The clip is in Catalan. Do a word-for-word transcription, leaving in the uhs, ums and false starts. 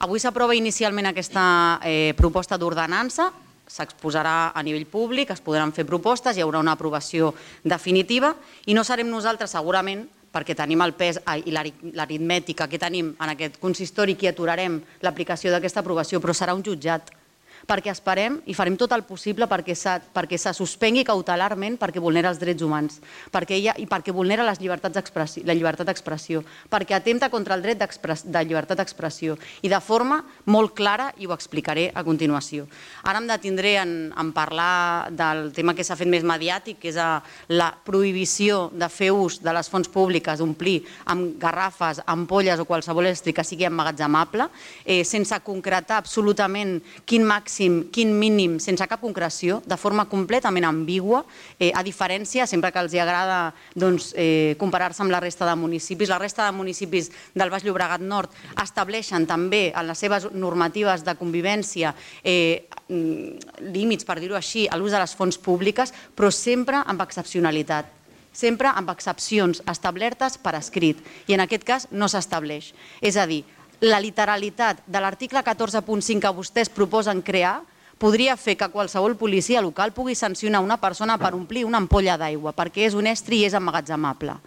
Avui s'aprova inicialment aquesta proposta d'ordenança, s'exposarà a nivell públic, es podran fer propostes, hi haurà una aprovació definitiva i no serem nosaltres segurament, perquè tenim el pes i l'aritmètica que tenim en aquest consistori, qui aturarem l'aplicació d'aquesta aprovació, però serà un jutjat, perquè esperem i farem tot el possible perquè se suspengui cautelarment perquè vulnera els drets humans i perquè vulnera la llibertat d'expressió, perquè atempta contra el dret de llibertat d'expressió i de forma molt clara, i ho explicaré a continuació. Ara em detindré en parlar del tema que s'ha fet més mediàtic, que és la prohibició de fer ús de les fonts públiques, d'omplir amb garrafes, ampolles o qualsevol estri que sigui emmagatzemable, sense concretar absolutament quin màxim, quin mínim, sense cap concreció, de forma completament ambigua, a diferència, sempre que els agrada comparar-se amb la resta de municipis, la resta de municipis del Baix Llobregat Nord estableixen també en les seves normatives de convivència límits, per dir-ho així, a l'ús de les fonts públiques, però sempre amb excepcionalitat, sempre amb excepcions establertes per escrit, i en aquest cas no s'estableix. És a dir, la literalitat de l'article catorze punt cinc que vostès proposen crear podria fer que qualsevol policia local pugui sancionar una persona per omplir una ampolla d'aigua, perquè és un estri i és emmagatzemable.